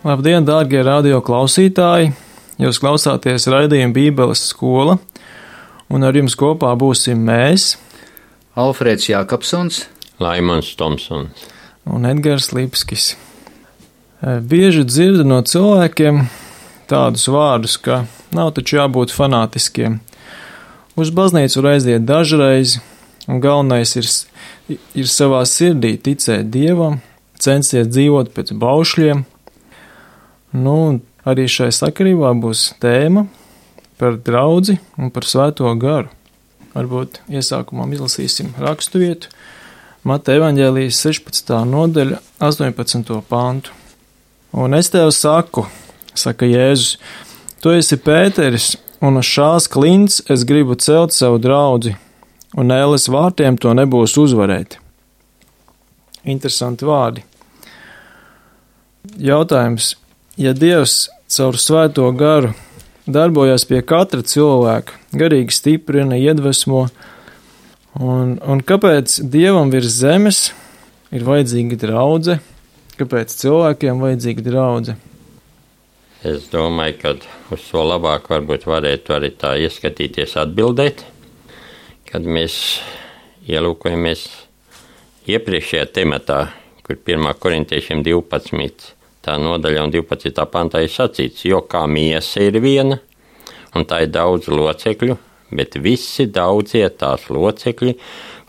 Labdien, dārgie radio klausītāji! Jūs klausāties raidījuma Bībeles skola, un ar jums kopā būsim mēs, Alfrēds Jākapsons, Laimons Tomsons un Edgars Lipskis. Bieži dzirdu no cilvēkiem tādus vārdus, ka nav taču jābūt fanātiskiem. Uz baznīcu var aiziet dažreiz, un galvenais ir savā sirdī ticēt Dievam, censties dzīvot pēc baušļiem. Arī šai sakarībā būs tēma par draudzi un par svēto garu. Varbūt iesākumā izlasīsim raksturvietu Mateja evaņģēlijas 16. nodaļa 18. pantu. Un es tev saku, saka Jēzus, tu esi Pēteris, un uz šās klints es gribu celt savu draudzi, un ēles vārtiem to nebūs uzvarēt. Interesanti vārdi. Jautājums. Ja Dievs caur svēto garu darbojas pie katra cilvēka, garīgi stiprina, iedvesmo, un kāpēc Dievam virs zemes ir vajadzīga draudze, kāpēc cilvēkiem vajadzīga draudze? Es domāju, ka uz to labāk varbūt varētu arī tā ieskatīties atbildēt, kad mēs ielūkojamies iepriekšējā tematā, kur 1. korintiešiem 12. tā nodaļa un 12. pantā ir sacīts, jo kā miesa ir viena, un tā ir daudz locekļu, bet visi daudzie tās locekļi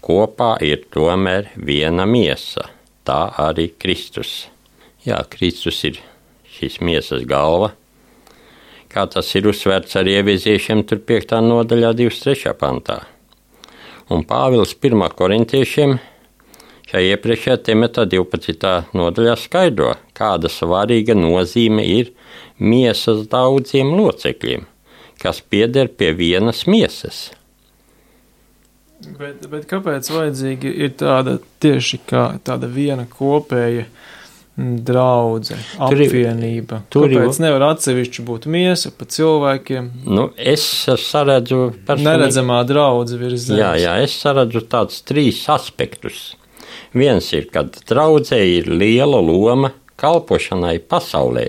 kopā ir tomēr viena miesa, tā arī Kristus. Jā, Kristus ir šīs miesas galva, kā tas ir uzsvērts arī Efeziešiem 5. nodaļā 23. pantā. Un Pāvils 1. korintiešiem šajā iepriekšējā tematā 12. nodaļā skaidro, kāda svarīga nozīme ir miesas daudziem locekļiem, kas pieder pie vienas miesas. Bet kāpēc vajadzīga ir tāda tieši kā tāda viena kopēja draudze, apvienība? Kāpēc nevar atsevišķi būt miesa pa cilvēkiem? Es saredzu neredzamā draudze virs zemes. Jā, es saredzu tādus 3 aspektus. Viens ir, kad draudzē ir liela loma kalpošanai pasaulē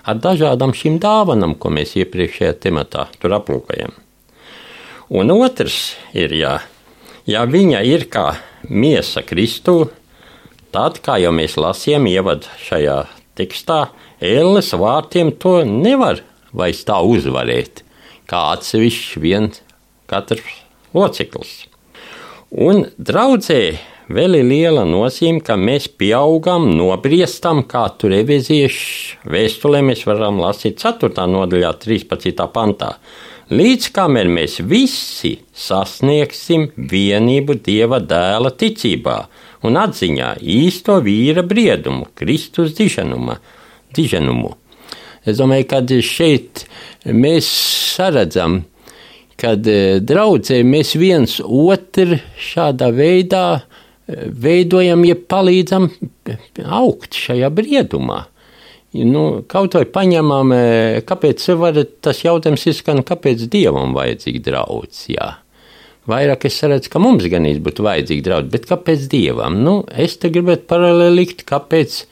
ar dažādām šīm dāvanām, ko mēs iepriekšējā tematā tur aplūkojam. Un otrs ir, ja viņa ir kā miesa Kristū, tad, kā jau mēs lasījām ievad šajā tekstā, ēles vārtiem to nevar vairs tā uzvarēt, kā atsevišķi viens katrs loceklis. Un draudzē vēl ir liela nozīme, ka mēs pieaugam, nobriestam, kā tur Efeziešu vēstulē mēs varam lasīt 4. nodaļā 13. pantā, līdz kamēr mēs visi sasniegsim vienību Dieva dēla ticībā un atziņā īsto vīra briedumu, Kristus diženumu. Es domāju, ka šeit mēs saredzam, kad draudzē mēs viens otru šādā veidā veidojam, ja palīdzam augt šajā briedumā. Kaut vai paņemam, kāpēc var tas jautājums izskan, kāpēc Dievam vajadzīga draudz, jā. Vairāk es redzu, ka mums gan būtu vajadzīga draudz, bet kāpēc Dievam? Es te gribētu paralēli likt, kāpēc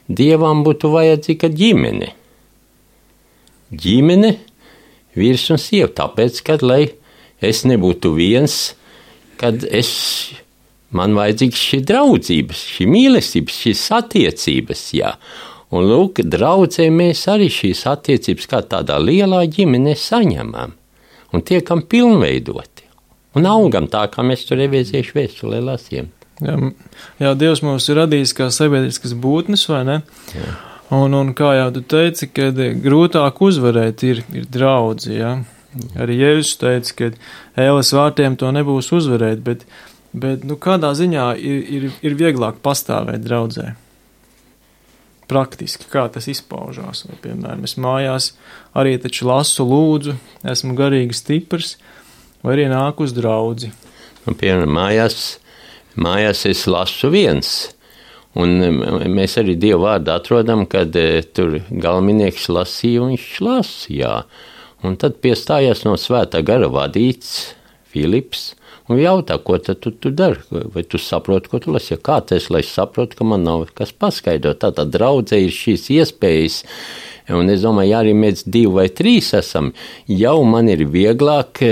Dievam būtu vajadzīga ģimene. Ģimene, vīrs un sieva, tāpēc, kad, lai es nebūtu viens, kad man vajadzīgs šī draudzības, šī mīlestības, šīs attiecības, jā. Un lūk, draudzē mēs arī šīs attiecības kā tādā lielā ģimenē saņemam un tiekam pilnveidoti. Un augam tā, kā mēs tur Efeziešu vēstulē lasījām. Jā, Dievs mūs ir radījis kā sabiedriskas būtnes, vai ne? Jā. Un kā jau tu teici, kad grūtāk uzvarēt ir draudzi, jā. Arī Jēzus teica, ka ēles vārtiem to nebūs uzvarēt, bet kādā ziņā ir vieglāk pastāvēt draudzē? Praktiski, kā tas izpaužās? Vai, piemēram, es mājās arī taču lasu lūdzu, esmu garīgi stiprs, vai arī nāku uz draudzi? Piemēram, mājās es lasu viens, un mēs arī Dievu vārdu atrodam, kad tur galvennieks lasīja un viņš lasīja, un tad piestājās no svētā gara vadīts Filips, un jautā, ko tad tu dari, vai tu saproti, ko tu lasi, kā tas, lai es saprotu, ka man nav kas paskaidrot. Tātad draudzē ir šīs iespējas, un es domāju, ja arī mēs 2 vai 3 esam, jau man ir vieglāk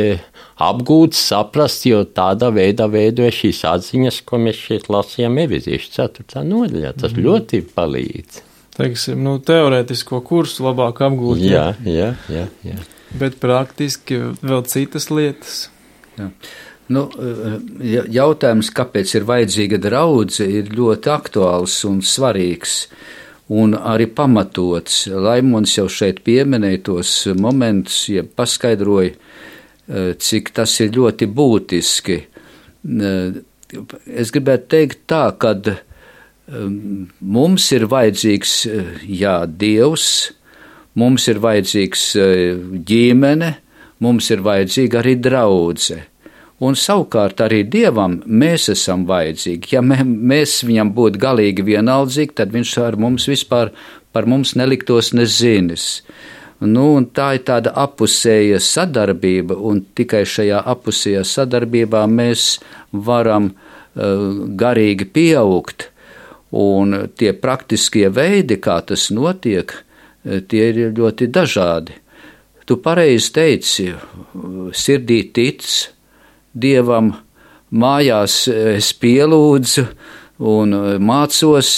apgūt, saprast, jo tādā veidā veidoja šīs atziņas, ko mēs šeit lasījām Efeziešu 4. nodaļā. Tas ļoti palīdz. Teiksim, teorētisko kursu labāk apgūt. Jā. Bet praktiski vēl citas lietas. Jā. Jautājums, kāpēc ir vajadzīga draudze, ir ļoti aktuāls un svarīgs un arī pamatots. Laimons jau šeit pieminēja tos momentus, ja paskaidroja, cik tas ir ļoti būtiski. Es gribētu teikt tā, kad mums ir vajadzīgs, Dievs, mums ir vajadzīgs ģimene, mums ir vajadzīga arī draudze. Un savukārt arī Dievam mēs esam vajadzīgi. Ja mēs viņam būtu galīgi vienaldzīgi, tad viņš ar mums vispār par mums neliktos nezinis. Un tā ir tāda apusēja sadarbība, un tikai šajā apusējā sadarbībā mēs varam garīgi pieaugt. Un tie praktiskie veidi, kā tas notiek, tie ir ļoti dažādi. Tu pareizi teici, sirdī tic Dievam, mājās es pielūdzu un mācos,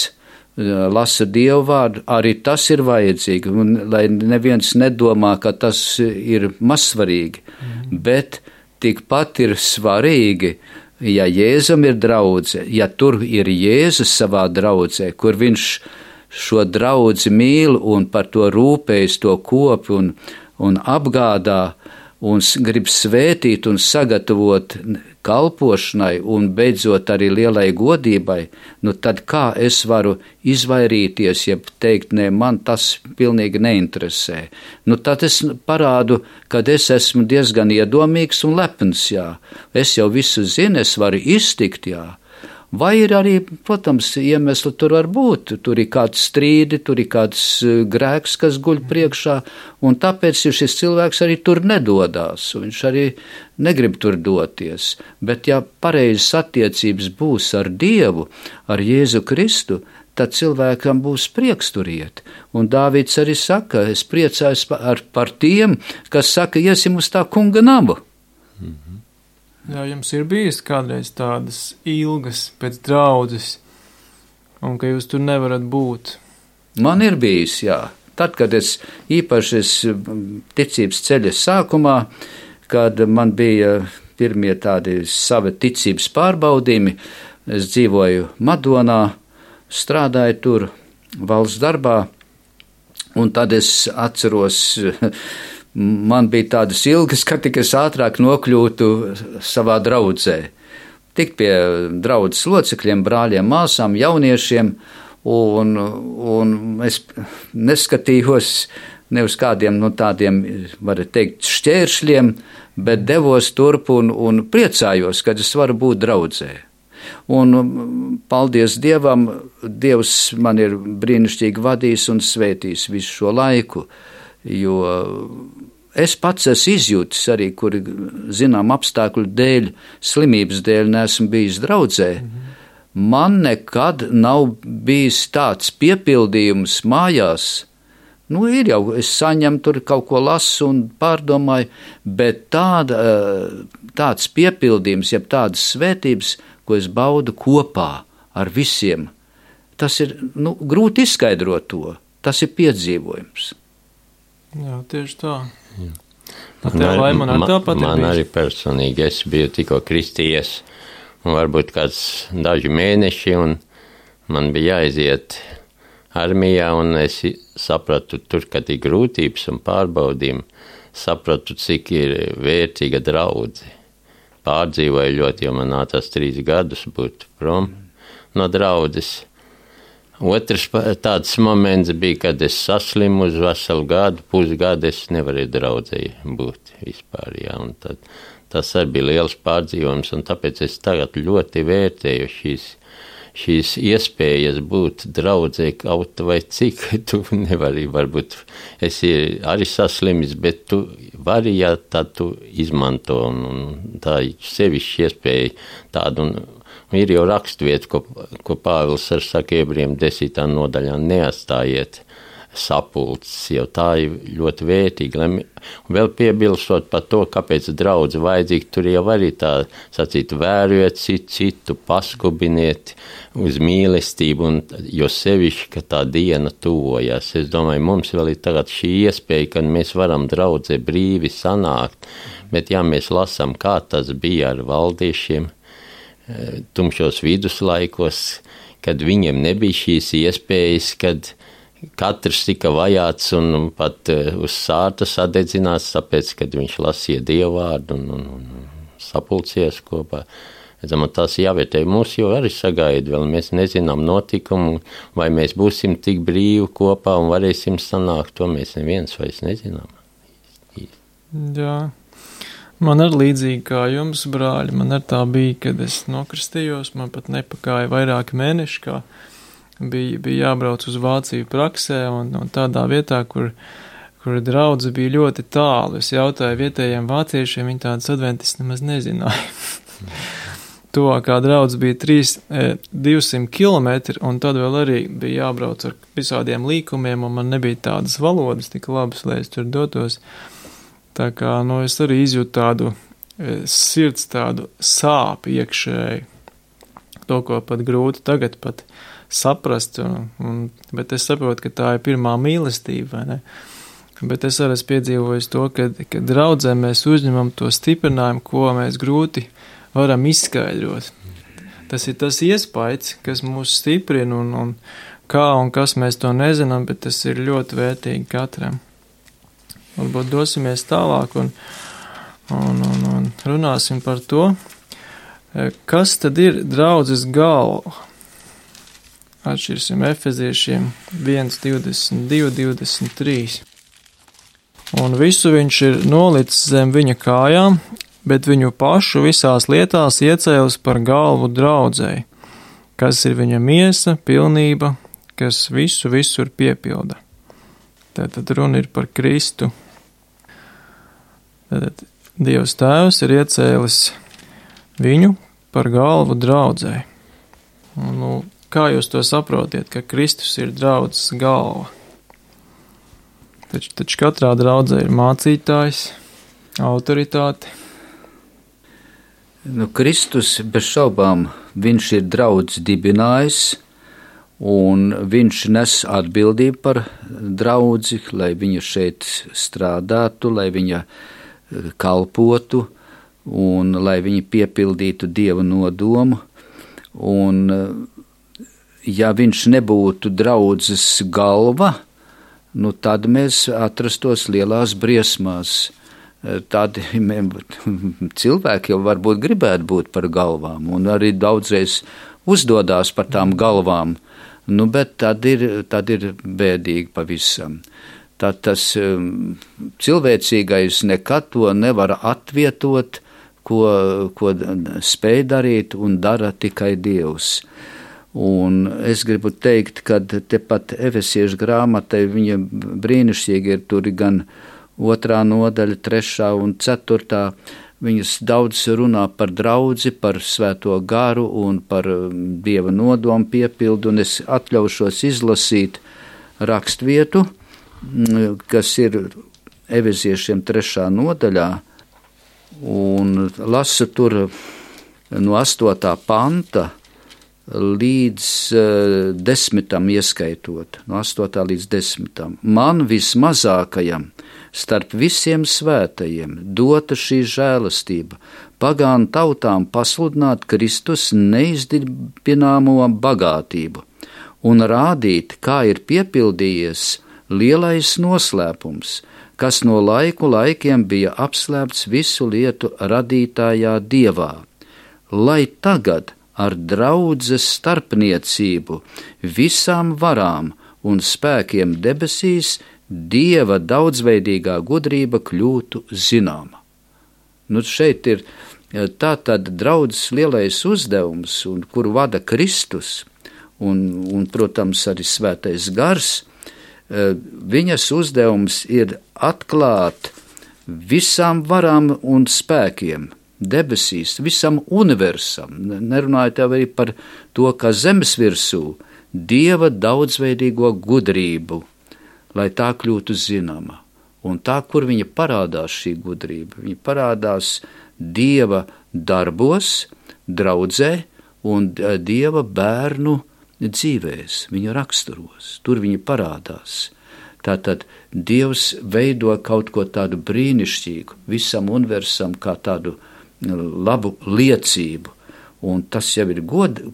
lasu Dievu vārdu, arī tas ir vajadzīgi, un lai neviens nedomā, ka tas ir mazsvarīgi, bet tikpat ir svarīgi, ja Jēzum ir draudze, ja tur ir Jēzus savā draudzē, kur viņš šo draudzi mīl un par to rūpējas, to kopi un apgādā, un grib svētīt un sagatavot kalpošanai un beidzot arī lielai godībai, tad kā es varu izvairīties, ja teikt, nē, man tas pilnīgi neinteresē. Tad es parādu, kad es esmu diezgan iedomīgs un lepns, Es jau visu zinu, es varu iztikt, Vai ir arī, protams, iemesli tur var būt, tur ir kāds strīdi, tur ir kāds grēks, kas guļ priekšā, un tāpēc šis cilvēks arī tur nedodās, un viņš arī negrib tur doties. Bet ja pareizas attiecības būs ar Dievu, ar Jēzu Kristu, tad cilvēkam būs prieks tur iet. Un Dāvids arī saka, es priecājos par tiem, kas saka, iesim uz tā kunga namu. Jā, jums ir bijis kādreiz tādas ilgas pēc draudzes, un ka jūs tur nevarat būt? Man ir bijis, Tad, kad īpaši ticības ceļa sākumā, kad man bija pirmie tādi savi ticības pārbaudījumi, es dzīvoju Madonā, strādāju tur valsts darbā, un tad es atceros, man bija tādas ilgas, ka tik es ātrāk nokļūtu savā draudzē. Tik pie draudzes locekļiem, brāļiem, māsām, jauniešiem, un es neskatījos ne uz kādiem tādiem, varētu teikt, šķēršļiem, bet devos turp un priecājos, kad es varu būt draudzē. Un paldies Dievam, Dievs man ir brīnišķīgi vadījis un svētījis visu šo laiku, jo es pats esmu izjūtis arī, kuri, zinām, apstākļu dēļ, slimības dēļ neesmu bijis draudzē. Man nekad nav bijis tāds piepildījums mājās. Ir jau, es saņemu tur kaut ko lasu un pārdomāju, bet tāds piepildījums, jeb tādas svētības, ko es baudu kopā ar visiem, tas ir, grūti izskaidrot to, tas ir piedzīvojums. Jā, tieši tā. Man arī personīgi, es biju tikko kristījies, un varbūt kāds daži mēneši, un man bija jāiziet armijā, un es sapratu tur, kad ir grūtības un pārbaudījumi, sapratu, cik ir vērtīga draudze. Pārdzīvoju ļoti, jo man nācās 3 gadus būt prom no draudzes. Otrs tāds moments bija, kad es saslimu uz veselu gadu, pusgadu es nevarēju draudzē būt vispār, un tad tas arī bija liels pārdzīvojums, un tāpēc es tagad ļoti vērtēju šīs iespējas būt draudzē kaut vai cik, tu nevari, varbūt esi arī saslimis, bet tu vari, ja tad tu izmanto, un tā sevišķi iespēja tādu, un ir jau rakstvieta, ko Pāvils ar saka Ebrejiem 10. nodaļā, neatstājiet sapulces, jau tā ir ļoti vērtīga. Un vēl piebilstot par to, kāpēc draudze vajadzīga, tur jau arī tā sacīt, vērojiet citu, paskubiniet uz mīlestību, un jo sevišķi, ka tā diena tuvojas. Es domāju, mums vēl ir tagad šī iespēja, ka mēs varam draudzē brīvi sanākt, bet ja mēs lasām, kā tas bija ar valdiešiem tumšos viduslaikos, kad viņiem nebija šīs iespējas, kad katrs tika vajāts un pat uz sārta sadedzināts, tāpēc, kad viņš lasīja dievvārdu un sapulcies kopā. Tas jāvērtē. Mūs jau arī sagaida, vēl mēs nezinām notikumu, vai mēs būsim tik brīvi kopā un varēsim sanākt, to mēs neviens vairs nezinām. Jā. Man ir līdzīgi kā jums, brāļi, man ar tā bija, kad es nokristījos, man pat nepakāja vairāki mēneši, kā bija jābrauc uz Vāciju praksē, un tādā vietā, kur draudze bija ļoti tālu. Es jautāju vietējiem vāciešiem, viņi tādas adventistas nemaz nezināja. Tuvākā draudze bija 200 kilometri, un tad vēl arī bija jābrauc ar visādiem līkumiem, un man nebija tādas valodas tik labas, lai es tur dotos. Tā kā, es arī izjūtu tādu sirds tādu sāpu iekšēji, to, ko pat grūti tagad pat saprast, bet es saprotu, ka tā ir pirmā mīlestība, vai ne? Bet es arī esmu piedzīvojis to, ka draudzē mēs uzņemam to stiprinājumu, ko mēs grūti varam izskaidrot. Tas ir tas iespējas, kas mūs stiprina, un kā un kas mēs to nezinām, bet tas ir ļoti vērtīgi katram. Varbūt dosimies tālāk un runāsim par to, kas tad ir draudzes galva. Atšķirsim Efeziešiem 1:22, 23. Un visu viņš ir nolicis zem viņa kājām, bet viņu pašu visās lietās iecēlis par galvu draudzei, kas ir viņa miesa, pilnība, kas visu visur piepilda. Tātad runa ir par Kristu. Tātad Dievs Tēvs ir iecēlis viņu par galvu draudzei. Kā jūs to saprotiet, ka Kristus ir draudzes galva? Taču katrā draudzē ir mācītājs, autoritāte. Kristus bez šaubām, viņš ir draudzes dibinājis, un viņš nes atbildību par draudzi, lai viņa šeit strādātu, lai viņa kalpotu, un lai viņa piepildītu Dieva nodomu, un ja viņš nebūtu draudzes galva, tad mēs atrastos lielās briesmās. Tādi cilvēki jau varbūt gribētu būt par galvām, un arī daudzreiz uzdodās par tām galvām, bet tad ir bēdīgi pavisam. Tad tas cilvēcīgais nekad to nevar atvietot, ko spēj darīt un dara tikai Dievs. Un es gribu teikt, ka tepat Efesiešu grāmatai viņa brīnišķīgi ir tur gan 2. nodaļa, 3. un 4. Viņas daudz runā par draudzi, par svēto garu un par Dieva nodomu piepildu, un es atļaušos izlasīt rakstvietu, kas ir Efesiešiem 3. nodaļā, un lasu tur no 8. panta līdz 10. ieskaitot, no 8. līdz 10. Man vismazākajam starp visiem svētajiem dota šī žēlastība, pagānu tautām pasludināt Kristus neizdibināmo bagātību un rādīt, kā ir piepildījies lielais noslēpums, kas no laikiem bija apslēpts visu lietu radītājā Dievā, lai tagad ar draudzes starpniecību visām varām un spēkiem debesīs Dieva daudzveidīgā gudrība kļūtu zināma. Šeit ir Tā tad draudzes lielais uzdevums, un kuru vada Kristus, un protams, arī Svētais Gars, viņas uzdevums ir atklāt visām varām un spēkiem debesīs, visam universam, nerunājot jau arī par to, kā zemes virsū, Dieva daudzveidīgo gudrību, lai tā kļūtu zināma. Un tā, kur viņa parādās šī gudrība, viņa parādās Dieva darbos, draudzē un Dieva bērnu dzīvēs, viņa raksturos, tur viņa parādās. Tātad Dievs veido kaut ko tādu brīnišķīgu, visam universam kā tādu labu liecību, un tas jau ir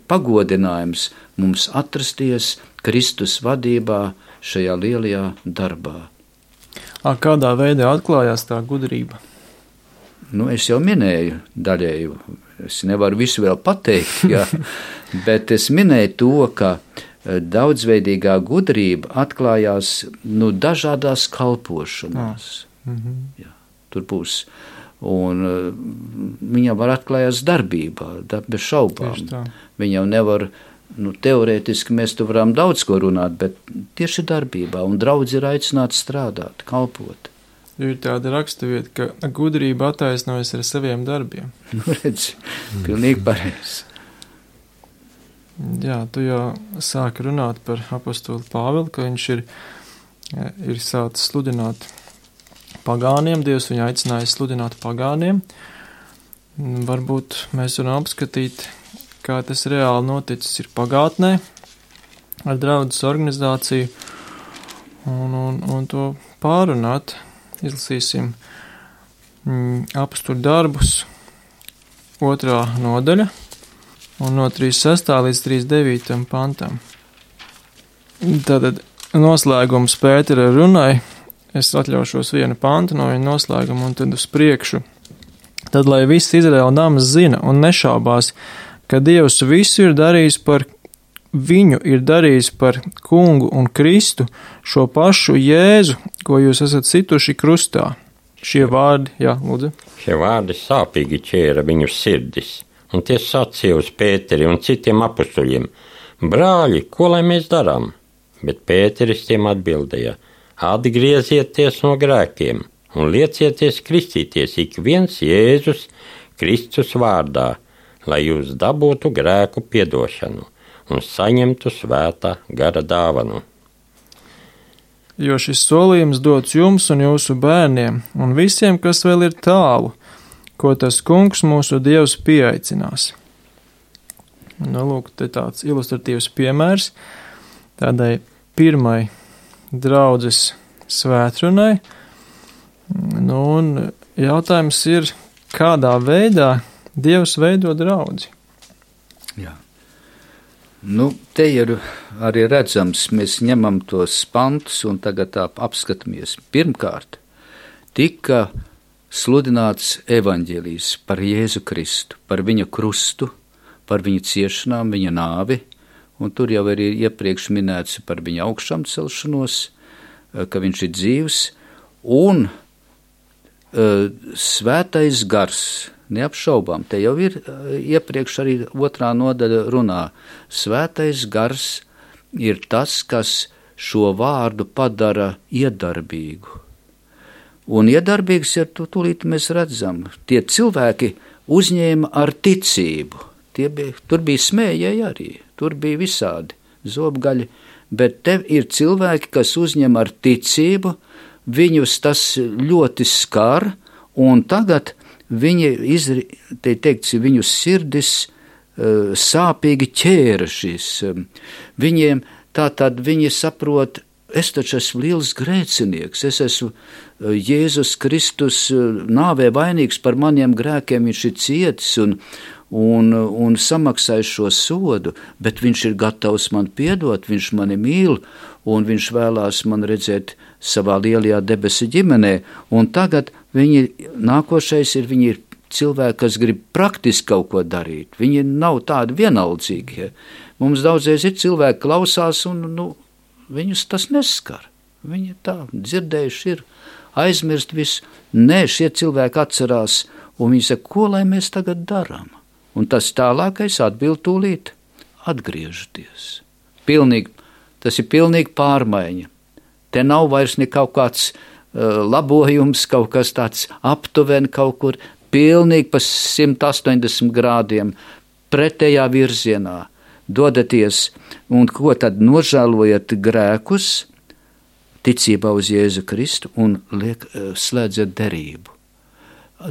pagodinājums mums atrasties Kristus vadībā šajā lielajā darbā. Kādā veidā atklājās tā gudrība? Es jau minēju daļēju, es nevaru visu vēl pateikt, jā, bet es minēju to, ka daudzveidīgā gudrība atklājās dažādās kalpošanās. Jā, tur būs. Un viņa var atklājās darbībā, bez šaubām. Viņa jau nevar, teorētiski mēs tu varam daudz ko runāt, bet tieši darbībā, un draudz ir aicināts strādāt, kalpot. Ir tāda raksturvieta, ka gudrība attaisnojas ar saviem darbiem. Redzi, pilnīgi pareizi. Jā, tu jau sāki runāt par apostoli Pāvilu, ka viņš ir sācis sludināt pagāniem, Dievs viņu aicināja sludināt pagāniem. Varbūt mēs varam apskatīt, kā tas reāli noticis ir pagātnē ar draudzes organizāciju un to pārunāt. Izlasīsim apostulu darbus 2. nodaļa un no 36. līdz 39. pantam. Tātad noslēgums Pētera runai. Es atļaušos vienu pantu no viņa noslēguma un tad uz priekšu. Tad, lai viss Izraēla nams zina un nešaubās, ka Dievs visu ir darījis par kungu un Kristu, šo pašu Jēzu, ko jūs esat situši krustā. Šie vārdi, jā, lūdzu. Šie vārdi sāpīgi ķēra viņu sirdis, un tie sacīja uz Pēteri un citiem apustuļiem: brāļi, ko lai mēs darām? Bet Pēteris tiem atbildēja: atgriezieties no grēkiem un liecieties kristīties ik viens Jēzus Kristus vārdā, lai jūs dabūtu grēku piedošanu un saņemtu svētā gara dāvanu. Jo šis solījums dots jums un jūsu bērniem un visiem, kas vēl ir tālu, ko tas kungs mūsu Dievs pieaicinās. Lūk, te tāds ilustratīvs piemērs tādai pirmai draudzes svētrunai. Un jautājums ir, kādā veidā Dievs veido draudzi? Jā. Te ir arī redzams, mēs ņemam tos pantus un tagad tā apskatāmies. Pirmkārt, tika sludināts evaņģēlijs par Jēzu Kristu, par viņa krustu, par viņa ciešanām, viņa nāvi, un tur jau arī iepriekš minēts par viņa augšām celšanos, ka viņš ir dzīvs, un Svētais Gars, neapšaubām, te jau ir iepriekš arī 2. nodaļa runā. Svētais Gars ir tas, kas šo vārdu padara iedarbīgu. Un iedarbīgs ir, tūlīt mēs redzam, tie cilvēki uzņēma ar ticību. Tur bija smējēji arī, tur bija visādi zobgaļi, bet te ir cilvēki, kas uzņem ar ticību, viņus tas ļoti skar, un tagad viņu sirdis sāpīgi ķēra šis. Viņiem tātad viņi saprot, es taču esmu liels grēcinieks, es esmu Jēzus Kristus nāvē vainīgs par maniem grēkiem, viņš ir cietis un samaksājis šo sodu, bet viņš ir gatavs man piedot, viņš mani mīl, un viņš vēlās man redzēt savā lielajā debesu ģimenē, un tagad nākošais ir, viņi ir cilvēki, kas grib praktiski kaut ko darīt, viņi nav tādi vienaldzīgi. Mums daudzreiz ir cilvēki klausās, un viņus tas neskar, viņi tā dzirdējuši ir, aizmirst visu. Nē, šie cilvēki atcerās, Un viņi saka, ko lai mēs tagad darām? Un tas tālākais atbild tūlīt atgriežaties. Tas ir pilnīgi pārmaiņa. Te nav vairs ne kaut kāds labojums, kaut kas tāds aptuveni kaut kur, pilnīgi pa 180 grādiem pretējā virzienā. Dodaties, un ko tad nožēlojat grēkus, ticībā uz Jēzu Kristu un slēdzat derību.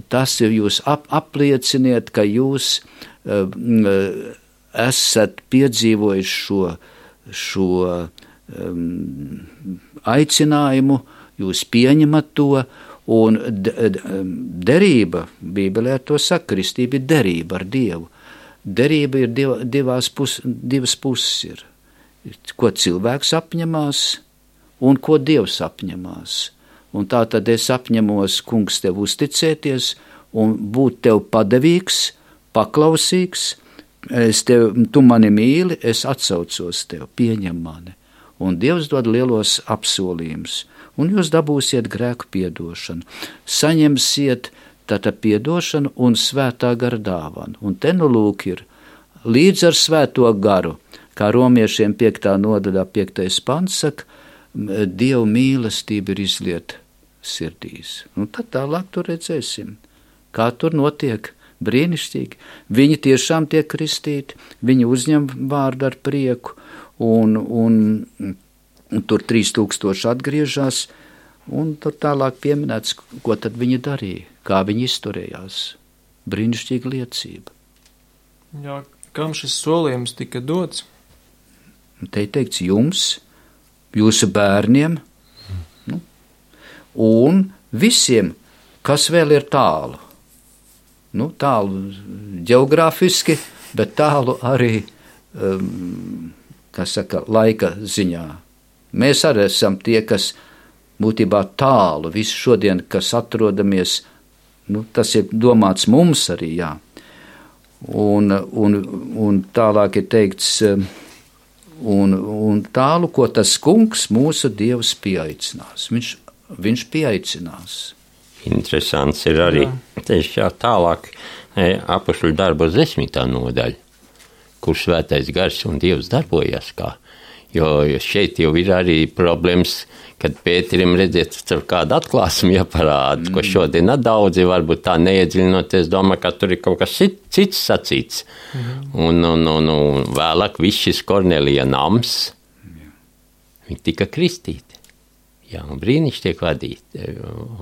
Tas ir jūs aplieciniet, ka jūs esat piedzīvojuši šo aicinājumu, jūs pieņemat to, un derība, Bībelē to saka, kristība ir derība ar Dievu. Derība ir divas puses ir. Ko cilvēks apņemās un ko Dievs apņemās. Un tā tad es apņemos, kungs, tev uzticēties un būt tev padevīgs, paklausīgs. Tu mani mīli, es atsaucos tev, pieņem mani. Un Dievs dod lielos apsolījumus. Un jūs dabūsiet grēku piedošanu. Saņemsiet tātad piedošanu un svētā gara dāvanu. Un te nu lūk ir līdz ar svēto garu, kā romiešiem 5. nodaļā 5. pants saka, Dieva mīlestība ir izlieta sirdīs. Un tad tālāk tur redzēsim, kā tur notiek brīnišķīgi. Viņi tiešām tiek kristīti, viņi uzņem vārdu ar prieku, un tur 3000 atgriežas, un tur tālāk pieminēts, ko tad viņi darīja, kā viņi izturējās. Brīnišķīga liecība. Jā, kam šis solījums tika dots? Te ir teikts jums, jūsu bērniem, un visiem, kas vēl ir tālu. Tālu ģeogrāfiski, bet tālu arī, laika ziņā. Mēs arī esam tie, kas būtībā tālu, visu šodien, kas atrodamies, tas ir domāts mums arī, jā. Un tālāk ir teikts, un tālu, ko tas kungs mūsu Dievs pieaicinās. Viņš pieaicinās. Interesants ir arī tieši tālāk apustuļu darbu 10. nodaļa, kur svētais gars un Dievs darbojas kā. Jo šeit jau ir arī problēmas, kad Pēterim redziet tur kādu atklāsmi jāparāda, ko šodien daudzi varbūt tā neiedziļinoties domā, ka tur ir kaut kas cits sacīts. Un vēlāk viss šis Kornelija nams, viņi tika kristīti. Jā, un brīnišķi tiek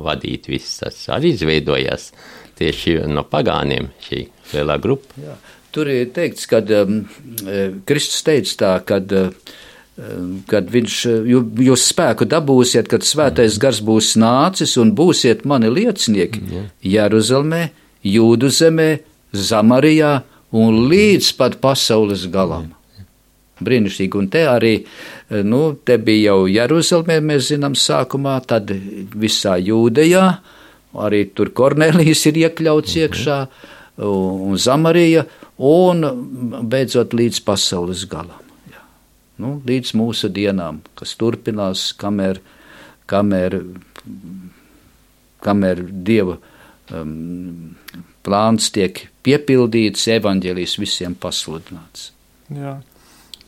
vadīt viss tas arī izveidojās tieši no pagāniem šī lielā grupa. Jā, tur ir teikts, kad Kristus teica tā, kad jūs spēku dabūsiet, kad svētais gars būs nācis un būsiet mani liecinieki Jeruzalemē, Jūdu zemē, Samarijā un līdz pat pasaules galam. Brīnišķīgi, un te arī, te bija jau Jeruzalemē, mēs zinām sākumā, tad visā Jūdejā, arī tur Kornelijs ir iekļauts iekšā, un Samarija, un beidzot līdz pasaules galam. Līdz mūsu dienām, kas turpinās, kamēr Dieva plāns tiek piepildīts, evaņģēlijs visiem pasludināts. Jā,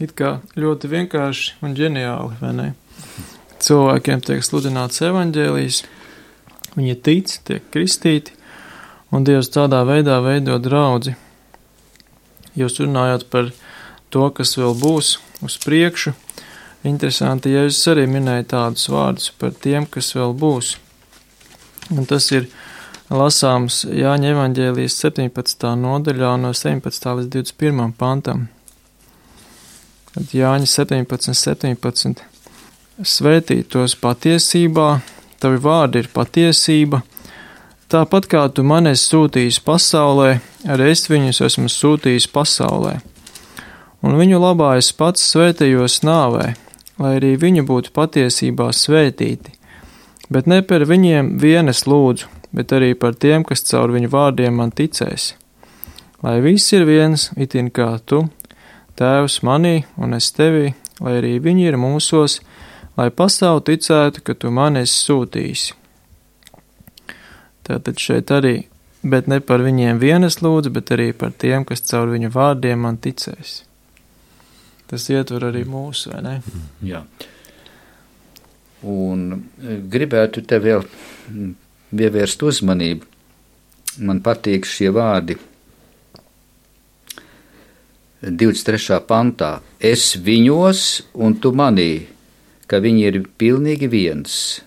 it kā ļoti vienkārši un ģeniāli, vai ne? Cilvēkiem tiek sludināts evaņģēlijs, viņi tic, tiek kristīti, un Dievs tādā veidā veido draudzi. Jūs runājāt par to, kas vēl būs uz priekšu. Interesanti, Jēzus arī minēja tādus vārdus par tiem, kas vēl būs. Un tas ir lasāms Jāņa evaņģēlijas 17. nodaļā no 17. līdz 21. pantam. Kad Jāņa 17. Svētī tos patiesībā, tavi vārdi ir patiesība, tāpat kā tu mani esi sūtījis pasaulē, arī es viņus esmu sūtījis pasaulē. Un viņu labā es pats svētījos nāvē, lai arī viņi būtu patiesībā svētīti. Bet ne par viņiem vien es lūdzu, bet arī par tiem, kas caur viņu vārdiem man ticēs. Lai viss ir viens, itin kā tu, Tēvs manī un es tevī, lai arī viņi ir mūsos, lai pasaule ticētu, ka tu mani esi sūtījis. Tātad šeit arī bet ne par viņiem vienas lūdzu, bet arī par tiem, kas caur viņu vārdiem man ticēs. Tas ietver arī mūsu, vai ne? Jā. Un gribētu te vēl pievērst uzmanību. Man patīk šie vārdi 23. pantā. Es viņos un tu manī, ka viņi ir pilnīgi viens.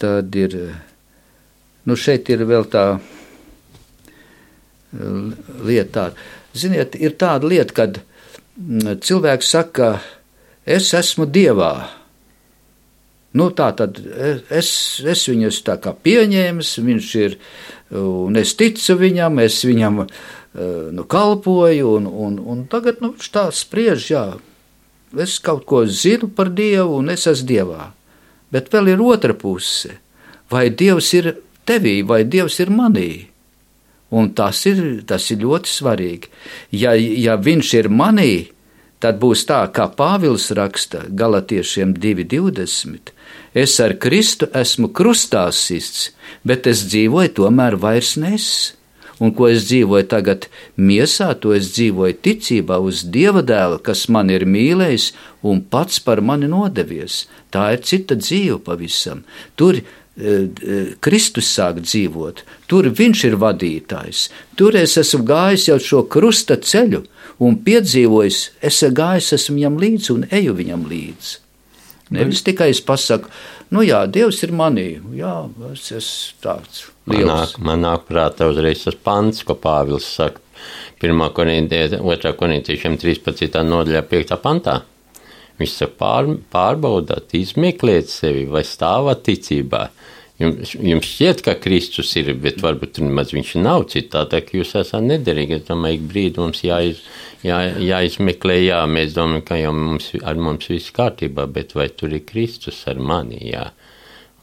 Tad ir, šeit ir vēl tā lieta. Ziniet, ir tāda lieta, kad cilvēks saka, es esmu Dievā. Tā tad es viņu esmu tā kā pieņēmis, viņš ir, un es ticu viņam, es viņam kalpoju, un tagad viņš tā spriež, jā, es kaut ko zinu par Dievu, un es esmu Dievā. Bet vēl ir otra puse. Vai Dievs ir tevī, vai Dievs ir manī? Un tas ir ļoti svarīgi. Ja viņš ir manī, tad būs tā, kā Pāvils raksta Galatiešiem 2:20. Es ar Kristu esmu krustā sists, bet es dzīvoju tomēr vairs nes. Un ko es dzīvoju tagad miesā, to es dzīvoju ticībā uz Dieva dēla, kas man ir mīlējis un pats par mani nodevies. Tā ir cita dzīve pavisam. Tur Kristus sāk dzīvot, tur viņš ir vadītājs. Tur es esmu gājis jau šo krusta ceļu un piedzīvojis, esmu viņam līdzi un eju viņam līdzi. Nevis tikai es pasaku, Dievs ir manī, es esmu tāds liels. Man nāk prātā uzreiz tas pants, ko Pāvils saka 1. korintiešiem 13. nodaļā 5. pantā. Viņš saka, pārbaudāt, izmeklēt sevi vai stāvāt ticībā. Jums šķiet, ka Kristus ir, bet varbūt maz viņš nav citādi, ka jūs esat nederīgi. Es domāju, ik brīdi mums jāizmeklē, mēs domājam, ka jau ar mums viss kārtībā, bet vai tur ir Kristus ar mani,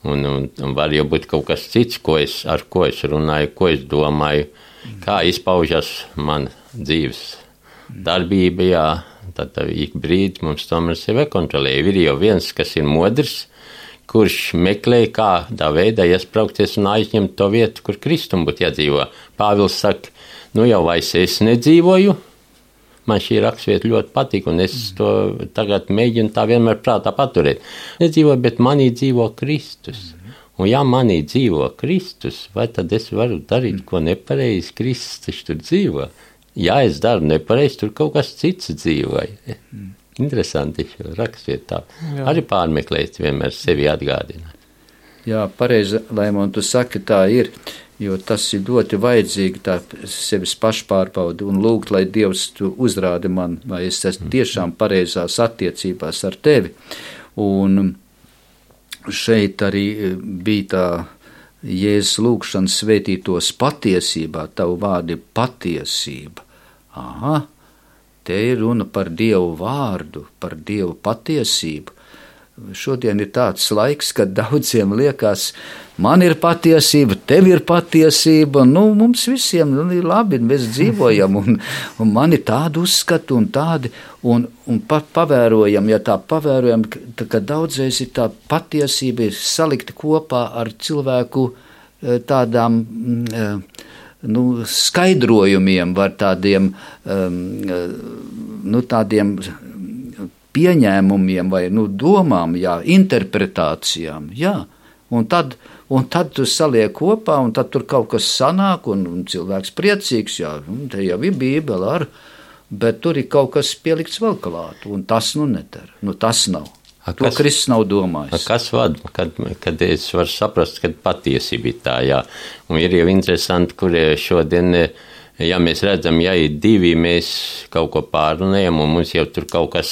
Un var jau būt kaut kas cits, ar ko es runāju, ko es domāju, kā izpaužas man dzīves darbība, tad ik brīdi mums tomēr sevi kontrolē. Ir jau viens, kas ir modrs, kurš meklē, kādā veidā iespraukties un aizņemt to vietu, kur Kristum būtu jādzīvo. Pāvils saka, jau vairs es nedzīvoju, man šī raksturvieta ļoti patīk, un es to tagad mēģinu tā vienmēr prātā paturēt. Nedzīvoju, bet manī dzīvo Kristus. Un ja manī dzīvo Kristus, vai tad es varu darīt, ko nepareizi Kristus taču tur dzīvo? Ja es daru nepareizi, tur kaut kas cits dzīvoja. Interesanti šo rakstvietā. Arī pārmeklēt, vienmēr sevi atgādināt. Jā, pareizi, Laimon, tu saki, tā ir, jo tas ir ļoti vajadzīgi, tā sevis pašpārbaudi un lūgt, lai Dievs tu uzrādi man, vai es esmu tiešām pareizās attiecībās ar tevi. Un šeit arī bija tā Jēzus lūgšana svētītos patiesībā, tavu vārdi patiesība. Aha. Te ir runa par Dievu vārdu, par Dievu patiesību. Šodien ir tāds laiks, kad daudziem liekas, man ir patiesība, tev ir patiesība, mums visiem ir labi, mēs dzīvojam, un man ir tādi uzskati un tādi, un pavērojam, ja tā pavērojam, ka daudzreiz ir tā patiesība ir salikta kopā ar cilvēku tādām skaidrojumiem, var tādiem pieņēmumiem vai domām, interpretācijām, un tad tu saliek kopā, un tad tur kaut kas sanāk, un cilvēks priecīgs, te jau ir Bībele, bet tur ir kaut kas pielikts vēl klāt, un tas nedara, tas nav. To Kristus nav domājis. Kas vada, kad es varu saprast, kad patiesība ir tā, un ir jau interesanti, kur šodien, mēs redzam, ir divi, mēs kaut ko pārunējam, un mums jau tur kaut kas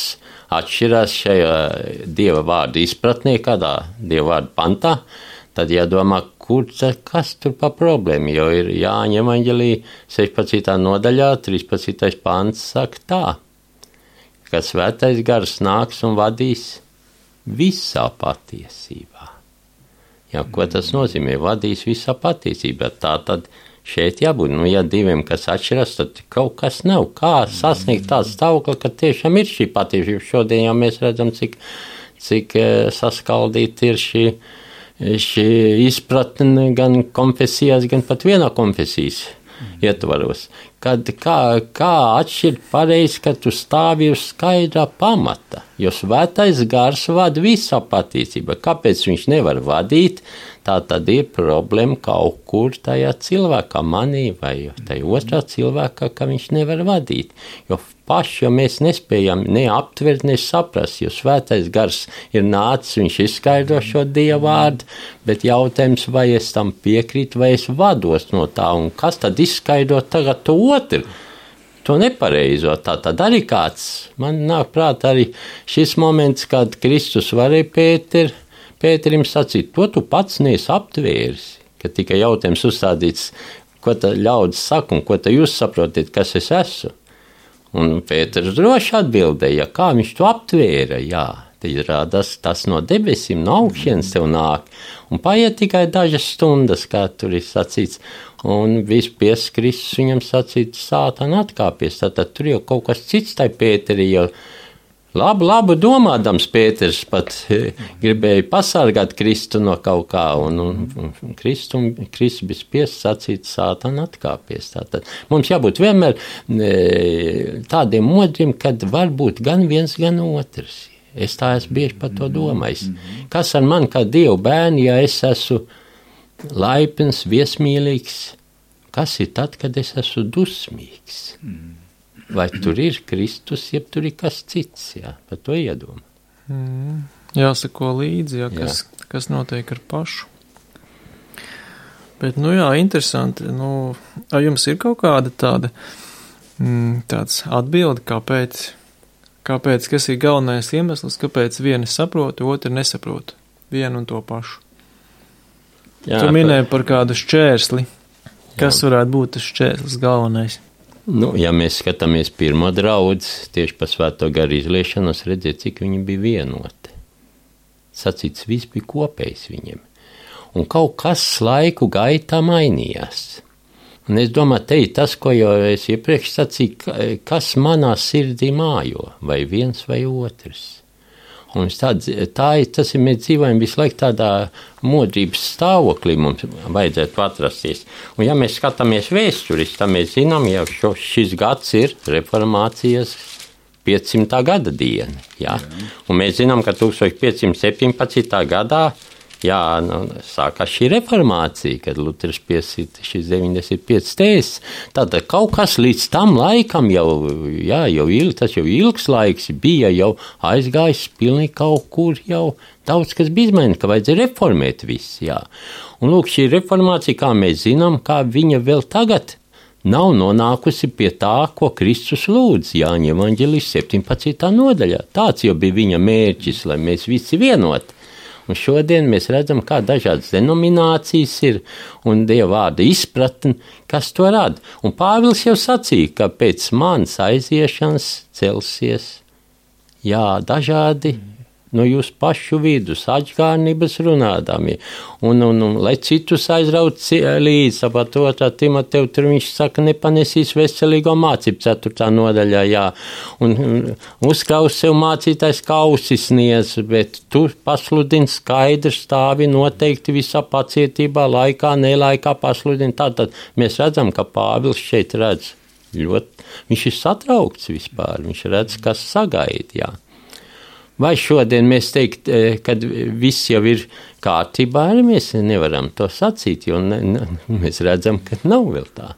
atšķirās šajā Dieva vārda izpratnē, kādā Dieva vārda pantā, tad jādomā, kas tur pa problēmu, jo ir Jāņa evaņģelī 16. nodaļā, 13. pants saka tā, ka svētais gars nāks un vadīs visā patiesībā. Ko tas nozīmē? Vadīs visā patiesībā. Tā tad šeit jābūt. Ja diviem, kas atšķiras, tad kaut kas nav. Kā sasniegt tādu stāvokli, ka tiešām ir šī patiesība? Šodien jau mēs redzam, cik saskaldīta ir šī izpratne gan konfesijās, gan pat vienā konfesijas ietvaros. Kad kā atšķirt pareizi, ka tu stāvi uz skaidrā pamata, jo svētais gars vada visā patiesībā. Kāpēc viņš nevar vadīt? Tā tad ir problēma kaut kur tajā cilvēkā, manī vai tajā otrā cilvēkā, ka viņš nevar vadīt. Jo paši, jo mēs nespējam ne aptvert, ne saprast, jo svētais gars ir nācis, viņš izskaidro šo Dieva vārdu, bet jautājums, vai es tam piekrītu, vai es vados no tā, un kas tad izskaidro tagad to otru? To nepareizo. Tā tad arī kāds, man nāk prāt arī šis moments, kad Kristus varēja Pēterim sacīt, to tu pats neesi aptvēris, ka tikai jautājums uzstādīts, ko tā ļaudis saka un ko tā jūs saprotiet, kas es esmu. Un Pēters droši atbildēja, kā viņš to aptvēra, jā, tad rādās tas no debesīm, no augšienes tev nāk, un paiet tikai dažas stundas, kā tur ir sacīts, un vispies Kristus viņam sacīt, sātana atkāpies, tātad tur jau kaut kas cits tai Pēteri jau. Labu domādams Pēters pat gribēja pasargāt Kristu no kaut kā, un Kristus bija spiests sacīt, sātana atkāpies. Tātad mums jābūt vienmēr tādiem modriem, kad var būt gan viens, gan otrs. Es tā esmu bieži par to domājis. Kas ar mani kā Dievu bērni, ja es esmu laipns, viesmīlīgs? Kas ir tad, kad es esmu dusmīgs? Vai tur ir Kristus, ja tur ir kas cits, jā, par to iedomā. Jāsako līdzi, jā, kas notiek ar pašu. Bet, interesanti, vai jums ir kaut kāda tāds atbildi, kāpēc, kas ir galvenais iemesls, kāpēc vieni saprot, otri nesaprot vienu un to pašu? Jā, tu minēji par kādu šķērsli. Kas varētu būt tas šķērslis galvenais? Ja mēs skatāmies pirmo draudzi, tieši pa svēto garu izliešanos, redzēt, cik viņi bija vienoti. Sacīts, viss bija kopējs viņiem. Un kaut kas laiku gaitā mainījās. Un es domāju, te ir tas, ko jau es iepriekš sacīju, kas manā sirdī mājo, vai viens vai otrs. Un tas ir, mēs dzīvojam visu laiku tādā modrības stāvoklī, mums vajadzētu atrasties. Un ja mēs skatāmies vēsturiski, tad mēs zinām, jau šis gads ir reformācijas 500. gada diena. Jā? Un mēs zinām, ka 1517. gadā sākās šī reformācija, kad Luters piesita šis 95 tēzes. Tātad kaut kas līdz tam laikam tas jau ilgs laiks bija, jau aizgājis pilnīgi kaut kur, jau daudz kas bija izmainīts, ka vajadzēja reformēt visu, jā. Un lūk, šī reformācija, kā mēs zinām, kā viņa vēl tagad nav nonākusi pie tā, ko Kristus lūdz Jāņa evaņģēlijas 17. nodaļā. Tāds jau bija viņa mērķis, lai mēs visi vienoti. Un šodien mēs redzam, kā dažādas denominācijas ir un Dieva vārda izpratne, kas to rada. Un Pāvils jau sacīja, ka pēc manas aiziešanas celsies, dažādi no jūsu pašu vidus, atžgārnības runādami. Un lai citus aizrauc līdzi, tāpat 2. Timoteju, tur viņš saka, nepanesīs veselīgo mācību 4. nodaļā, un uzkraus sev mācītājs kausis niez, bet tu pasludini skaidri stāvi noteikti visā pacietībā, laikā, nelaikā pasludini. Tātad mēs redzam, ka Pāvils šeit redz viņš ir satraukts vispār, viņš redz, kas sagaida, jā. Vai šodien mēs teikt, kad viss jau ir kārtībā, arī mēs nevaram to sacīt, jo mēs redzam, ka nav vēl tā.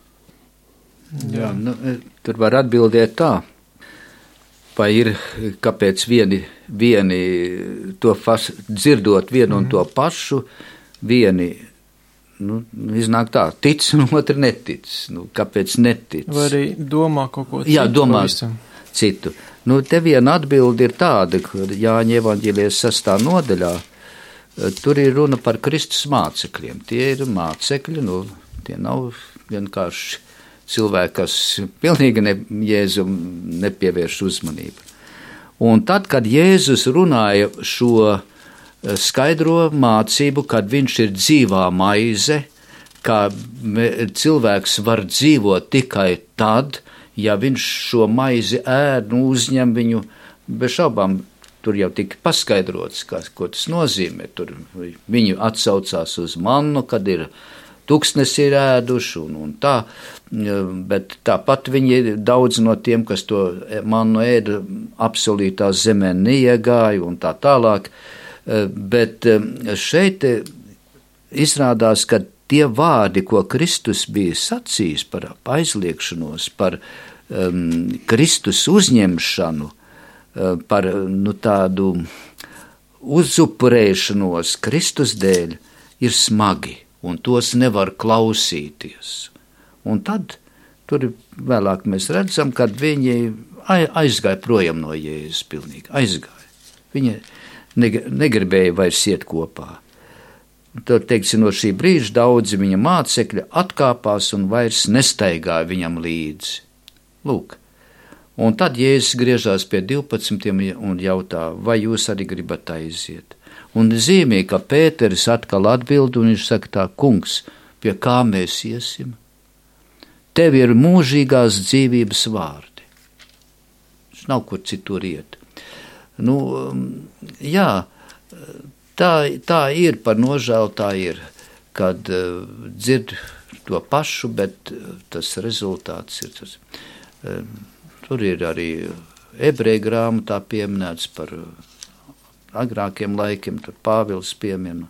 Jā, tur var atbildēt tā, vai ir, kāpēc vieni to dzirdot vienu un to pašu, vieni, iznāk tā, tic un otri netic, kāpēc netic. Vai arī domā kaut ko citu. Jā, domā citu. Te viena atbilde ir tāda, ka Jāņa evaņģēlijas 6. nodaļā, tur ir runa par Kristus mācekļiem. Tie ir mācekļi, tie nav vienkārši cilvēki, kas pilnīgi Jēzum nepievērš uzmanību. Un tad, kad Jēzus runāja šo skaidro mācību, kad viņš ir dzīvā maize, ka cilvēks var dzīvot tikai tad, ja viņš šo maizi ēd, uzņem viņu, bez šaubām tur jau tika paskaidrots, ko tas nozīmē. Tur viņi atsaucās uz mannu, kad ir tuksnesi ir ēduši un tā, bet tāpat viņi daudz no tiem, kas to mannu ēda, apsolītā zemē neiegāja un tā tālāk. Bet šeit izrādās, ka tie vārdi, ko Kristus bija sacījis par aizliekšanos, par Kristus uzņemšanu, par tādu uzupurēšanos Kristus dēļ, ir smagi, un tos nevar klausīties. Un tad tur vēlāk mēs redzam, kad viņi aizgāja projām no Jēzus pilnīgi, aizgāja. Viņi negribēja vairs iet kopā. Tad, teiksim, no šī brīža daudzi viņa mācekļi atkāpās un vairs nestaigāja viņam līdzi. Lūk. Un tad Jēzus griežās pie 12 un jautā, vai jūs arī gribat aiziet? Un zīmē, ka Pēteris atkal atbild, un viņš saka tā, kungs, pie kā mēs iesim? Tev ir mūžīgās dzīvības vārdi. Viņš nav kur citur iet. Jā, tā ir, par nožēlu tā ir, kad dzird to pašu, bet tas rezultāts ir tas. Tur ir arī ebreju grāmatā pieminēts par agrākiem laikiem, tur Pāvils piemin,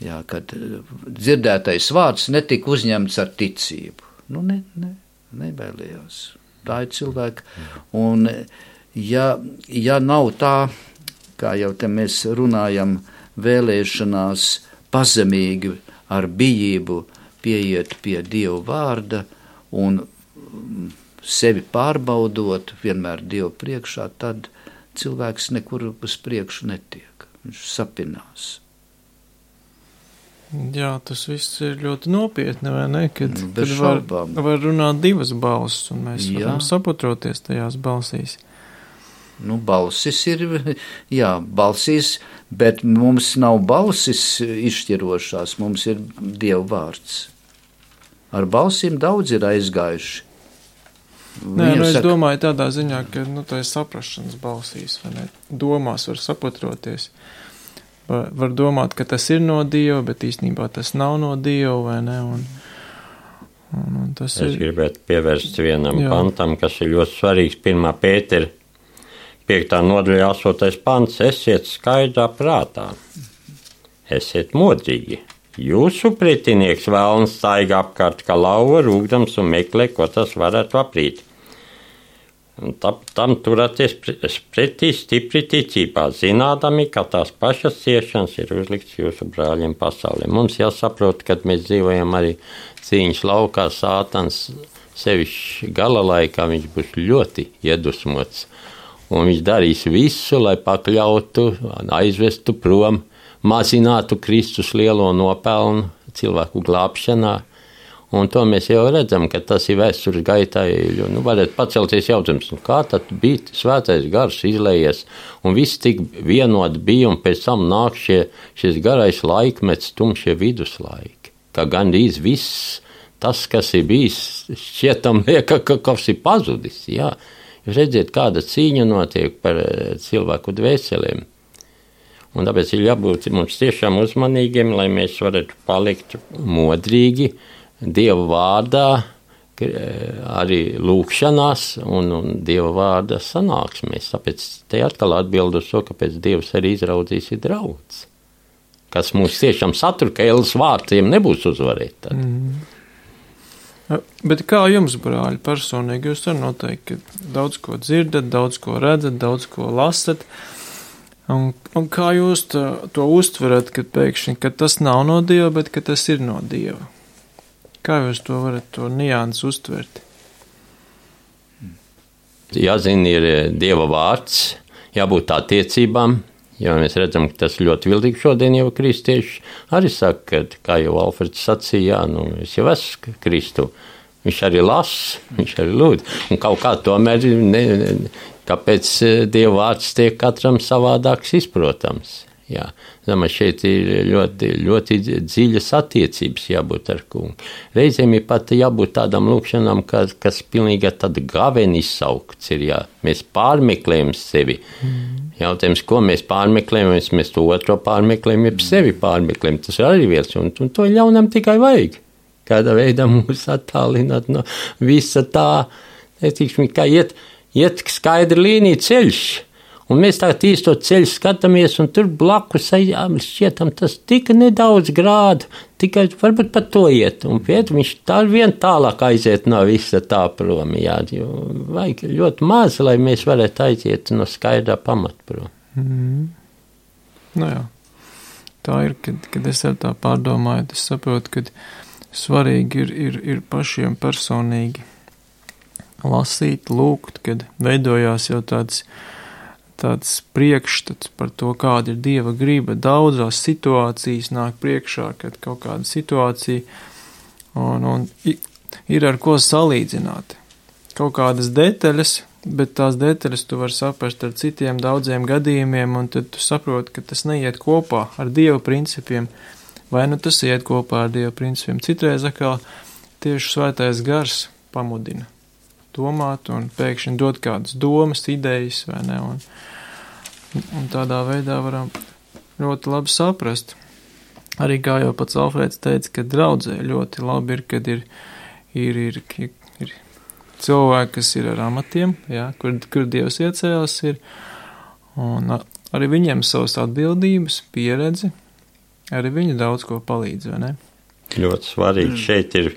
jā, kad dzirdētais vārds netika uzņemts ar ticību. Nebailījās. Tā ir cilvēka. Un ja nav tā, kā jau te mēs runājam, vēlēšanās pazemīgi ar bijību pieiet pie Dieva vārda un sevi pārbaudot vienmēr Dievu priekšā, tad cilvēks nekur uz priekšu netiek. Viņš sapinās. Jā, tas viss ir ļoti nopietni, vai ne? Kad var runāt divas balsis, un mēs varam saproties tajās balsīs. Balsis ir, balsīs, bet mums nav balsis izšķirošās, mums ir Dieva vārds. Ar balsīm daudz ir aizgājuši. Es domāju tādā ziņā, ka tā ir saprašanas balsīs, vai ne? Domās var saproties. Var domāt, ka tas ir no Dieva, bet īstenībā tas nav no Dieva, vai ne? Un tas es gribētu pievērst vienam pantam, kas ir ļoti svarīgs, 1. Pētera 5. nodaļa 8. pants, esiet skaidrā prātā, esiet modrīgi. Jūsu pretinieks vēlns staigā apkārt kā lauva rūgdams un meklē, ko tas varētu aprīt. Un tam turēties pretī stipri ticībā, zinādami, ka tās pašas ciešanas ir uzlikts jūsu brāļiem pasaulē. Mums jāsaprot, kad mēs dzīvojam arī cīņas laukā, Sātans sevišķi gala laikā viņš būs ļoti iedusmots. Un viņš darīs visu, lai pakļautu, aizvestu prom, mazinātu Kristus lielo nopelnu cilvēku glābšanā. Un to mēs jau redzam, ka tas ir vēstures gaitā, varētu pacelties jautājums, kā tad bija svētais gars izlējies, un viss tik vienot bija, un pēc tam nāk šis garais laikmets, tumšie viduslaiki. Kā gandrīz viss tas, kas ir bijis, šķietam lieka, ka kas ir pazudis, jā. Jūs redziet, kāda cīņa notiek par cilvēku dvēselēm. Un tāpēc ir jābūt mums tiešām uzmanīgiem, lai mēs varētu palikt modrīgi Dieva vārdā, arī lūkšanās un Dieva vārda sanāksmēs. Tāpēc te atkal atbild uz to, kāpēc Dievs arī izraudzīs ir draudz. Kas mūs tiešām satur, ka ēlas vārtiem nebūs uzvarēt tad. Bet kā jums, brāļi, personīgi, jūs arī noteikti daudz ko dzirdat, daudz ko redzat, daudz ko lasat, un kā jūs to uztverat, kad pēkšņi, ka tas nav no Dieva, bet ka tas ir no Dieva? Kā jūs to varat to nianses uztvert? Jāzina ir Dieva vārds, jābūt attiecībām, jo mēs redzam, ka tas ļoti viltīgi šodien jau kristieši arī saka, kā jau Alfreds sacīja, es jau esmu Kristu. Viņš arī lasa, viņš arī lūdz. Un kaut kā tomēr, kāpēc Dieva vārds tiek katram savādāks izprotams. Jā, domāju, šeit ir ļoti, ļoti dziļas attiecības jābūt ar kungu. Reizēm ir pat jābūt tādām lūkšanām, kas pilnīgi tāda gaveni izsaukts ir, jā. Mēs pārmeklējam sevi. Jautājums, ko mēs pārmeklējam, mēs to otro pārmeklējam, jeb sevi pārmeklējam. Tas ir arī viens, un to ļaunam tikai vajag. Kādā veidā mūs attālināt no visa tā, netikšķi, kā iet skaidra līnija ceļš. Un mēs tā īsto ceļu skatāmies, un tur blakus šķietam tas tika nedaudz grādu, tikai varbūt pat to iet. Un viņš tā vien tālāk aiziet no visa tā prom. Jā, vajag ļoti maz, lai mēs varētu aiziet no skaidrā pamata prom. Nu jā, tā ir, kad es ar tā pārdomāju, es saprotu, ka svarīgi ir pašiem personīgi lasīt, lūgt, kad veidojās jau tāds priekšstats par to, kāda ir Dieva griba. Daudzās situācijas nāk priekšā, kad kaut kāda situācija un ir ar ko salīdzināt. Kaut kādas detaļas, bet tās detaļas tu vari saprast ar citiem daudziem gadījumiem, un tad tu saproti, ka tas neiet kopā ar Dieva principiem, vai nu tas iet kopā ar Dieva principiem. Citreiz atkal tieši Svētais Gars pamudina domāt un pēkšņi dot kādas domas, idejas, vai ne, un tādā veidā varam ļoti labi saprast. Arī kā jau pats Alfrēds teica, ka draudzē ļoti labi ir, kad ir cilvēki, kas ir ar amatiem, jā, kur Dievs iecēlas ir, un arī viņiem savas atbildības, pieredzi, arī viņi daudz ko palīdz, vai ne? Ļoti svarīgi šeit ir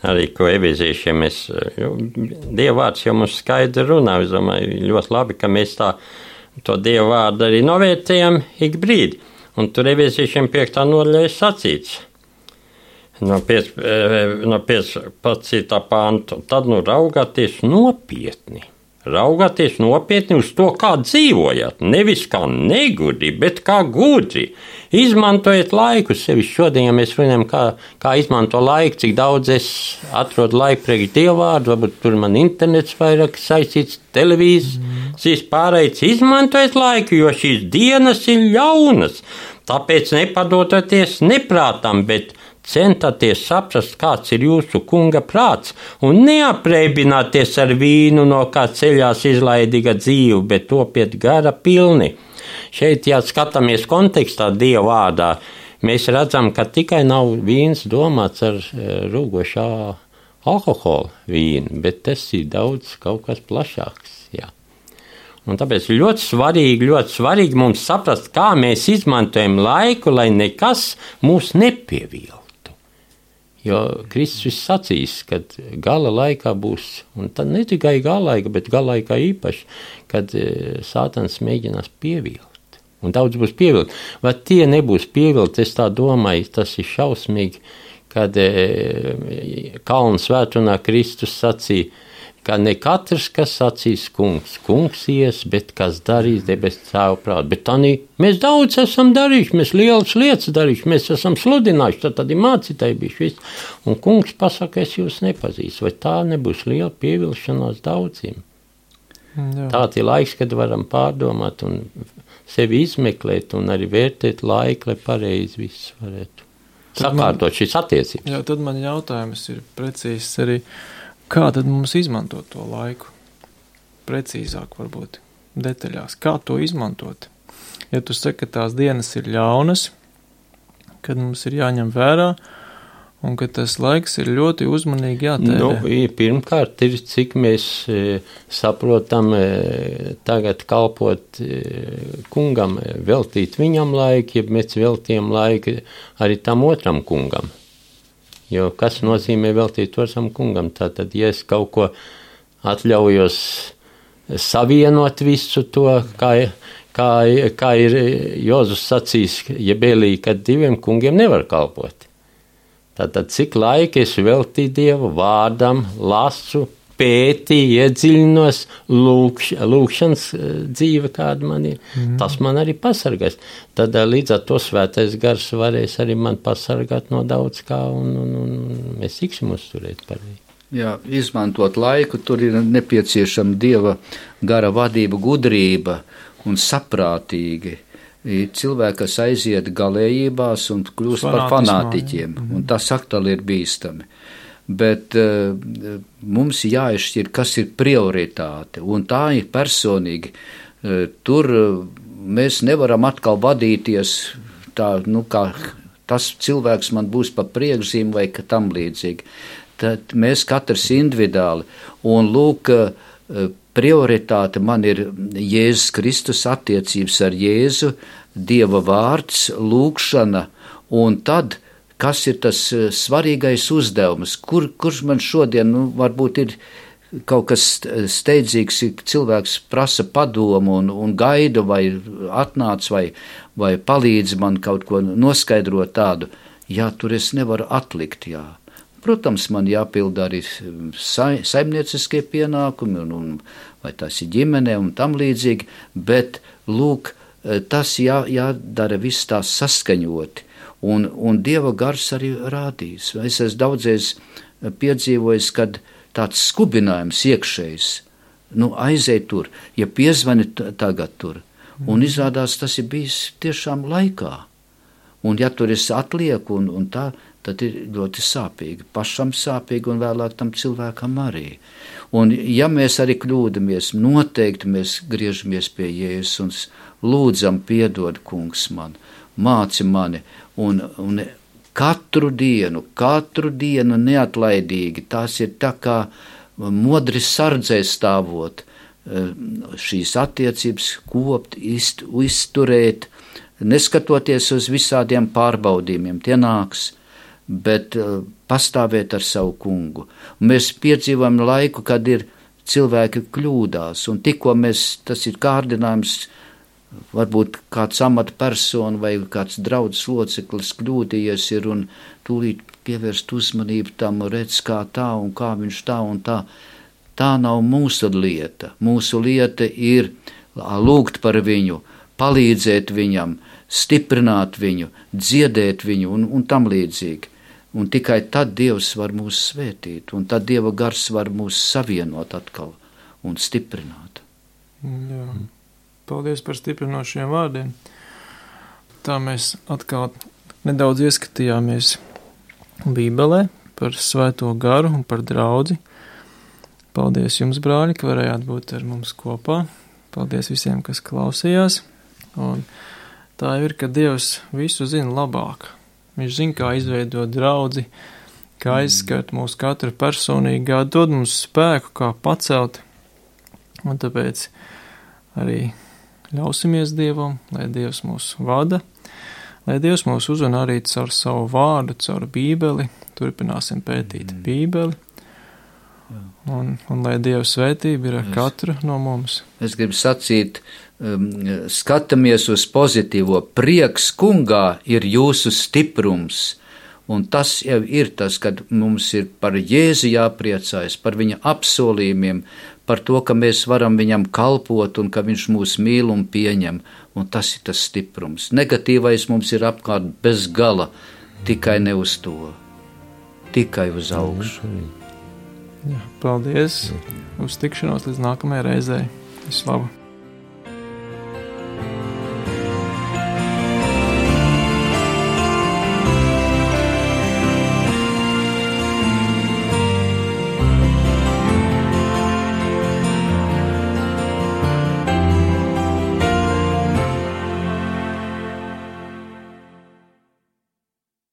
arī, ko ebēziešiem Dieva vārds jau mums skaidri runā. Es domāju, ļoti labi, ka mēs to Dieva vārdu arī novērtējam ik brīdi. Un tur ebēziešiem 5. nodaļā sacīts no 15. pantu. Tad raugāties nopietni. Raugāties nopietni uz to, kā dzīvojat. Nevis kā negudri, bet kā gudri. Izmantojiet laiku sevi. Šodien, ja mēs runājam, kā izmanto laiku, cik daudz es atrodu laiku priekš Dieva vārdu, varbūt tur man internets vairāk saistīts, televīzijas pārējais. Izmantojiet laiku, jo šīs dienas ir ļaunas. Tāpēc nepadoties neprātam, bet centāties saprast, kāds ir jūsu kunga prāts, un neapreibināties ar vīnu, no kā ceļās izlaidīga dzīve, bet topiet gara pilni. Šeit, ja skatāmies kontekstā Dieva vārdā, mēs redzam, ka tikai nav vīns domāts ar rūgošā alkohola vīnu, bet tas ir daudz kaut kas plašāks. Jā. Un tāpēc ļoti svarīgi mums saprast, kā mēs izmantojam laiku, lai nekas mūs nepieviltu. Jo Kristus sacīs, ka gala laikā būs, un tad ne tikai gala laika, bet gala laikā īpaši, kad Sātans mēģinās pievilt. Un daudz būs pievilt. Vai tie nebūs pievilt, es tā domāju, tas ir šausmīgi, kad Kalnu svētdienā Kristus sacīja, ka ne katrs, kas sacīs kungs ies, bet kas darīs debes Tēva prātu. Bet tādī mēs daudz esam darījuši, mēs lielas lietas darījuši, mēs esam sludinājuši, tad ir mācītāji bijuši viss. Un kungs pasaka, es jūs nepazīstu, vai tā nebūs liela pievilšanās daudziem. Jā. Tāds ir laiks, kad varam pārdomāt un sevi izmeklēt un arī vērtēt laiku, lai pareizi viss varētu sakārtot šīs attiecības. Jā, tad man jautājums ir precīzs arī, kā tad mums izmantot to laiku? Precīzāk varbūt, detaļās. Kā to izmantot? Ja tu saki, ka tās dienas ir ļaunas, kad mums ir jāņem vērā, un ka tas laiks ir ļoti uzmanīgi jātērē. Pirmkārt ir, cik mēs saprotam tagad kalpot kungam, veltīt viņam laiku, ja mēs veltījam laiku arī tam otram kungam. Jo kas nozīmē veltīt otram kungam? Tātad, ja es kaut ko atļaujos savienot visu to, kā ir Jozus sacījis Jebelī, kad diviem kungiem nevar kalpot. Tātad, cik laika es veltīju Dievu vārdam, lasu, pētīju, iedziļinos, lūkšanas dzīve, kāda man ir, tas man arī pasargās. Tad līdz ar to Svētais Gars varēs arī man pasargāt no daudz kā, un mēs tiksim uzturēt pareizi. Jā, izmantot laiku, tur ir nepieciešama Dieva gara vadība, gudrība un saprātīgi cilvēki, kas aiziet galējībās un kļūst par fanātiķiem, un tas atkal ir bīstami. Bet mums jāizšķir, kas ir prioritāte, un tā ir personīgi. Tur mēs nevaram atkal vadīties tā, kā tas cilvēks man būs pa priekšzīm vai tam līdzīgi. Tad mēs katrs individuāli, un lūk, prioritāte man ir Jēzus Kristus, attiecības ar Jēzu, Dieva vārds, lūkšana, un tad, kas ir tas svarīgais uzdevums, kurš man šodien, varbūt ir kaut kas steidzīgs, cilvēks prasa padomu un gaida vai atnāc vai palīdz man kaut ko noskaidrot tādu, tur es nevaru atlikt, Protams, man jāpilda arī saimnieciskie pienākumi, vai tas ir ģimene un tam līdzīgi, bet, lūk, tas jādara viss tās saskaņoti, un Dieva gars arī rādīs. Es esmu daudzies piedzīvojis, kad tāds skubinājums iekšējs, aizej tur, ja piezvani tagad tur, un izrādās tas ir bijis tiešām laikā, un ja tur es atlieku un tā, tad ir ļoti sāpīgi, pašam sāpīgi un vēlāk tam cilvēkam arī. Un ja mēs arī kļūdamies, noteikti mēs griežamies pie Jēzus un lūdzam piedod, kungs man, māci mani, un katru dienu neatlaidīgi, tās ir tā kā modri sardzē stāvot, šīs attiecības kopt, izturēt, neskatoties uz visādiem pārbaudījumiem, tie nāks, bet pastāvēt ar savu kungu. Un mēs piedzīvojam laiku, kad ir cilvēki kļūdās, un tikko tas ir kārdinājums, varbūt kāds amatpersona vai kāds draudzes loceklis kļūdījies ir un tūlīt pievērst uzmanību tam, redz kā tā un kā viņš tā un tā. Tā nav mūsu lieta. Mūsu lieta ir lūgt par viņu, palīdzēt viņam, stiprināt viņu, dziedēt viņu un tam līdzīgi. Un tikai tad Dievs var mūs svētīt, un tad Dieva gars var mūs savienot atkal un stiprināt. Jā. Paldies par stiprinošiem vārdiem. Tā mēs atkal nedaudz ieskatījāmies Bībelē par Svēto garu un par draudzi. Paldies jums, brāļi, ka varējāt būt ar mums kopā. Paldies visiem, kas klausījās. Un tā ir, ka Dievs visu zina labāk. Viņš zina, kā izveidot draudzi, kā aizskart mūsu katru personīgi, kā dod mums spēku, kā pacelt. Un tāpēc arī ļausimies Dievam, lai Dievs mūs vada, lai Dievs mūs uzrunā arī caur savu vārdu, caur Bībeli, turpināsim pētīt Bībeli, un lai Dieva svētība ir ar katru no mums. Es gribu sacīt, skatāmies uz pozitīvo, prieks kungā ir jūsu stiprums, un tas jau ir tas, kad mums ir par Jēzu jāpriecājas, par viņa apsolījumiem, par to, ka mēs varam viņam kalpot un ka viņš mūs mīl un pieņem, un tas ir tas stiprums. Negatīvais mums ir apkārt bez gala, tikai ne uz to, tikai uz augšu. Jā, paldies, uz tikšanos līdz nākamajai reizei. Slavu!